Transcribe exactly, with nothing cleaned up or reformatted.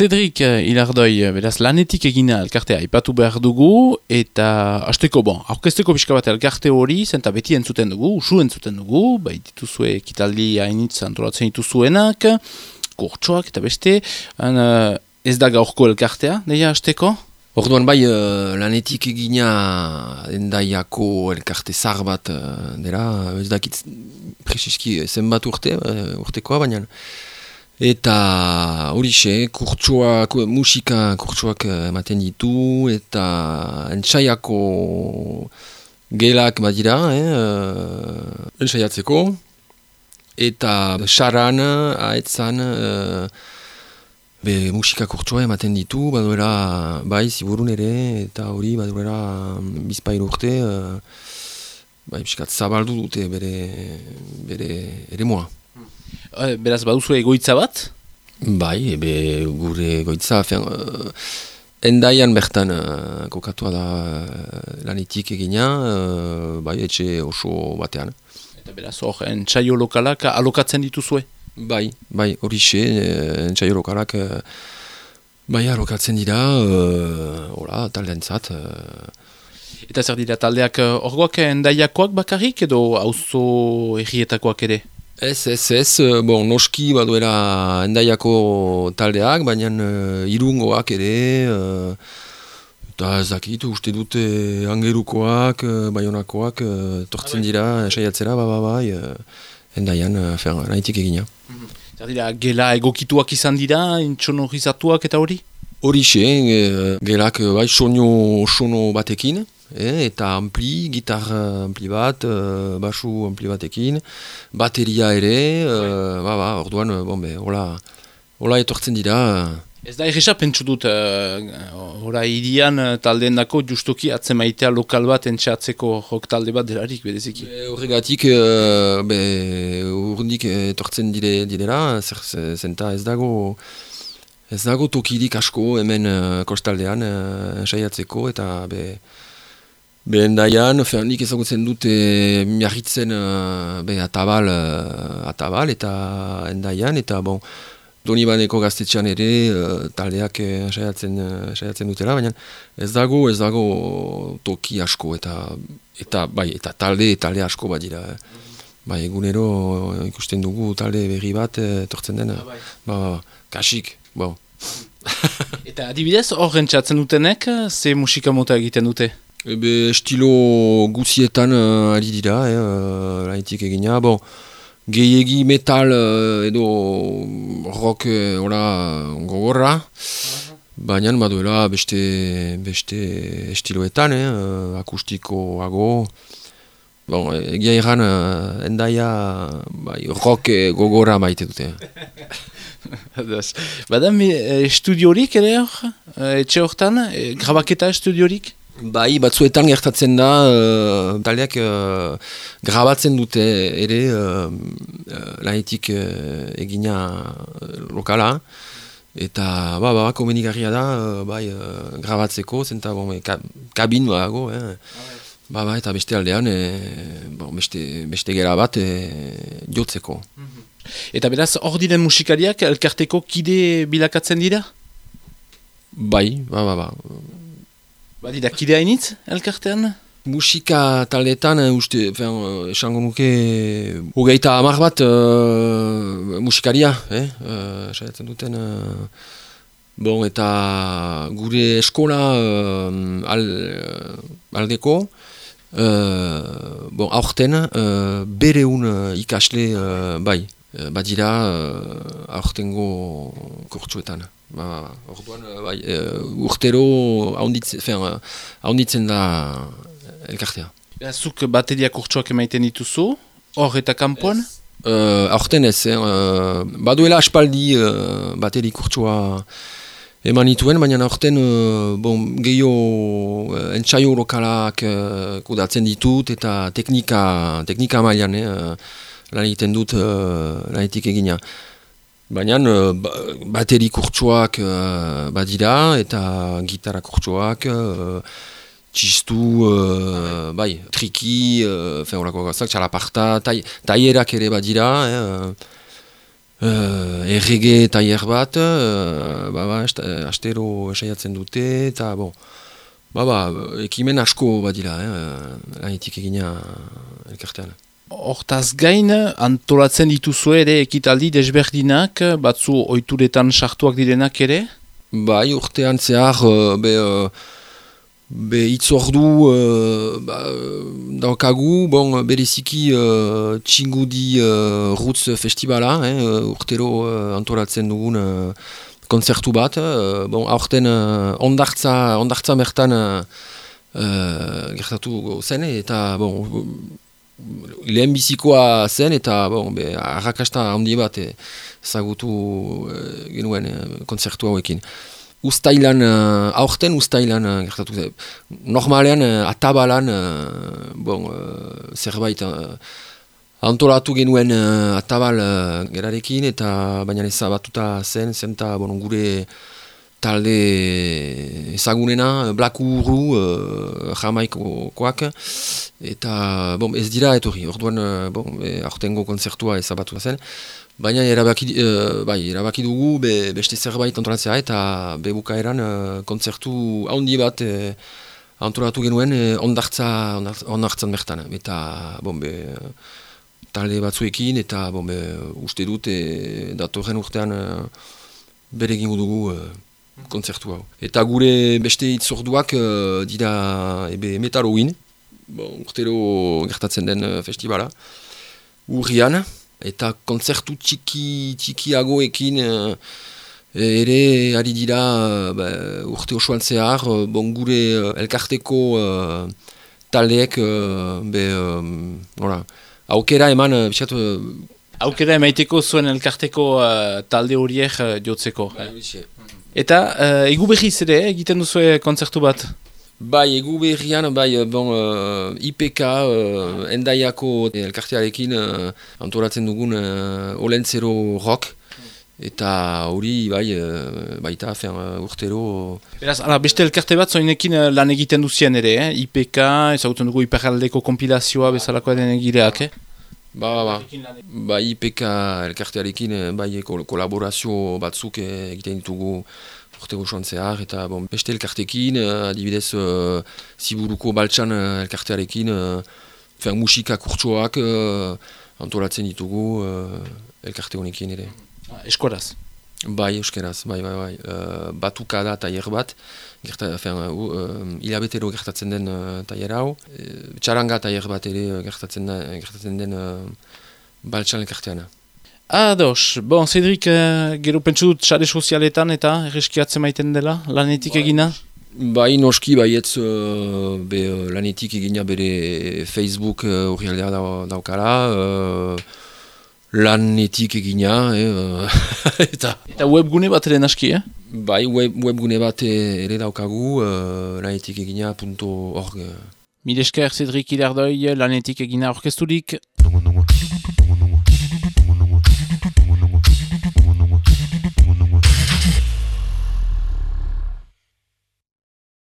Cedric Ilardoi, beraz, lanetik egina elkartea aipatu behar dugu, eta hasteko, bon, aurkezteko pixka bat elkarte hori, zenta beti entzuten dugu, usu entzuten dugu, bai dituzue ekitaldi hainitz antolatzen dituzuenak, kurtsoak eta beste, han, ez da gaurko elkartea, deia hasteko? Orduan bai, uh, lanetik egina Endaiako elkarte zar bat uh, dela, ez dakit presiski zenbat urte, uh, urtekoa, baina eta horixe, kurtsoak, musika kurtsoak ematen ditu, eta entsaiako gelak badira, eh, uh, entsaiatzeko, eta saran, aetzan, uh, be musika kurtsoa ematen ditu, baduela, bai, ziburun ere, eta hori, baduela bizpahiru urte, uh, bai, piskat zabaldu dute bere, bere ere moa. Beraz, baduzu egoitza bat? Bai, ebe gure egoitza, fen, uh, Endaian bertan uh, kokatua da uh, lanetik egina, uh, bai, etxe oso batean. Eta beraz, hor, entsaio lokalak alokatzen dituzue? Bai, bai, horixe, entsaio lokalak uh, bai alokatzen dira, uh, hola, taldentzat. Uh. Eta zer dira taldeak orgoak Endaiakoak bakarrik edo auzo herrietakoak ere? Ez, ez, ez, bon, noski baduela Endaiako taldeak, baina uh, irungoak ere, uh, eta ez dakit, uste dute Angerukoak, uh, Baionakoak, uh, tortzen dira, saiatzera, ba, ba, bai, uh, Endaian, uh, fer, nahitik egina. Zer dira, gela egokituak izan dira, intsonorizatuak eta hori? Horixe, uh, gelak, bai, soño, sono batekin. Eh, eta ampli, gitar ampli bat, uh, basu ampli batekin, bateria ere, uh, ba, ba, orduan, bon, be, hola, hola etortzen dira. Ez da erresa pentsu dut, hora uh, irian taldeen dako justuki atzemaitea lokal bat entxeatzeko jok talde bat delarik, bedeziki. Horregatik, uh, be, urdik etortzen dire, direla, zer, zenta ez dago, ez dago tokirik asko hemen uh, kostaldean uh, saiatzeko, eta be, Be Endaian, nik ezagutzen dut e, miarritzen uh, be, atabal, uh, atabal eta Endaian, eta bon, Donibaneko gaztetxean ere uh, taldeak uh, saiatzen, uh, saiatzen dutela, baina ez dago, ez dago toki asko, eta, eta, bai, eta talde, talde asko badira. Bai, egunero ikusten dugu talde berri bat etortzen dena, ba, ba, kasik, bon. Eta adibidez, hor rentsatzen dutenek, ze musika mota egiten dute? Ebe estilo guzietan uh, ari dira, eh, uh, lanetik egina. Bon, gehiegi metal uh, edo rock uh, ora, gogorra, uh-huh. Baina baduela beste, beste estiloetan, eh, uh, akustikoago. Bon, egia erran, uh, Endaia bai, rock gogorra maite dute. Bada, estudiorik ere hor, etxe hortan, grabaketa estudiorik? Bai, batzuetan gertatzen da, uh, taldeak uh, grabatzen dute ere uh, uh, lanetik uh, egina lokala, eta ba, ba, komenigarria da, uh, bai, uh, grabatzeko, zenta bon, ka, kabin badago, eh. Ba, ba, eta beste aldean, eh, bon, beste, beste gera bat eh, jotzeko. Eta beraz, hor diren musikariak elkarteko kide bilakatzen dira? Bai, ba, ba, ba. Badira, kide hainitz elkartean? Musika taldeetan, uste, fen, esango nuke, hogeita hamar bat uh, musikaria, eh? Uh, saiatzen duten, uh, bon, eta gure eskola uh, al, uh, aldeko, uh, bon, aurten, uh, bereun uh, ikasle, uh, bai, uh, badira uh, aurtengo kurtsuetan. Ba, orduan, bai, uh, urtero haunditzen da elkartea. Zuk bateria kurtsoak emaiten dituzu, hor eta kanpoan? Uh, aurten ez, eh, uh, baduela aspaldi uh, bateri kurtsoa eman dituen, baina aurten uh, bon, gehiago uh, entsaio lokalak uh, kudatzen ditut, eta teknika, teknika mailan eh, lan egiten dut uh, lanetik egina. Baina bateri kurtsoak uh, badira, eta gitarra kurtsoak, uh, txistu, uh, bai, triki, uh, horako gazak, txalaparta, taierak ere badira, eh, uh, errege tailer bat, uh, ba, ba, astero esaiatzen dute, eta bon, ba, ba, ekimen asko badira, eh, lanetik egina elkartean. Hortaz gain, antolatzen dituzue ere ekitaldi desberdinak, batzu ohituretan sartuak direnak ere? Bai, urtean zehar, be, be itzordu uh, ba, daukagu, bon, bereziki uh, txingudi uh, Roots Festivala, eh, urtero uh, antolatzen dugun uh, konzertu bat, uh, bon, aurten uh, ondartza, ondartza mertan uh, uh, gertatu zen, eta bon, lehen bizikoa zen, eta bon, be, arrakasta handi bat ezagutu e, genuen e, konzertu hauekin. Uztailan, uh, aurten uztailan uh, gertatu zen. Normalean, uh, atabalan, uh, bon, uh, zerbait uh, antolatu genuen uh, atabal uh, gerarekin, eta baina ezabatuta zen, zen eta bon, gure talde ezagunena, Blakuru, uh, Jamaikoak, eta bon, ez dira etorri, orduan bon, e, aurtengo konzertua ezabatu zen, baina erabaki, uh, bai, erabaki dugu be, beste zerbait antolatzea, eta bebukaeran uh, konzertu handi bat e, antolatu genuen e, ondartza, ondartzan bertan, eta bon, be, talde batzuekin, eta bon, be, uste dut e, datorren urtean e, bere egingo dugu e, konzertu hau. Eta gure beste itzorduak uh, dira ebe Metal Halloween, bon, urtero gertatzen den uh, festivala, urrian, eta konzertu txiki, txikiagoekin uh, ere ari dira uh, ba, urte osoan zehar, uh, bon, gure uh, elkarteko uh, taldeek uh, be, um, nola, aukera eman, uh, biskat, uh, aukera emaiteko zuen elkarteko uh, talde horiek uh, jotzeko. Eh? Eta uh, egu behiz ere egiten duzu kontzertu bat? Bai, egu behian, bai, bon, uh, I P K, uh, Endaiako elkartearekin uh, antolatzen dugun uh, Olentzero Rock, eta hori, bai, uh, baita, fen, uh, urtero... Beraz, ala, beste elkarte bat zoinekin uh, lan egiten duzien ere, eh? I P K, ezagutzen dugu Iparraldeko kompilazioa bezalako den egireak, eh? Ba, ba, ba. Ba, I P K elkartearekin bai, kol kolaborazio batzuk egiten ditugu urte gozoan zehar, eta bon, beste elkartekin, adibidez uh, Ziburuko Baltsan elkartearekin, uh, musika kurtsoak uh, antolatzen ditugu uh, elkarte honekin ere. Eskoraz? Bai, euskeraz, bai, bai, bai. Uh, batukada tailer bat, gerta, fen, uh, hilabetero gertatzen den uh, tailer hau. Uh, txaranga tailer bat ere gertatzen, da, gertatzen den uh, Baltsan elkarteana. Ados, bon, Cedric, uh, gero pentsu dut sare sozialetan eta erreskiatzen maiten dela, lanetik bai. Egina? Bai, noski, baietz uh, be, uh, lanetik egina bere Facebook hori uh, aldea daukala, uh, lanetik egina, eh, eta... Eta webgune bat ere naski, eh? Bai, web, webgune bat ere daukagu, uh, lanetik egina punto org. Mil esker, Cedric Hillardoi, lanetik egina orkesturik. Nongo, nongo.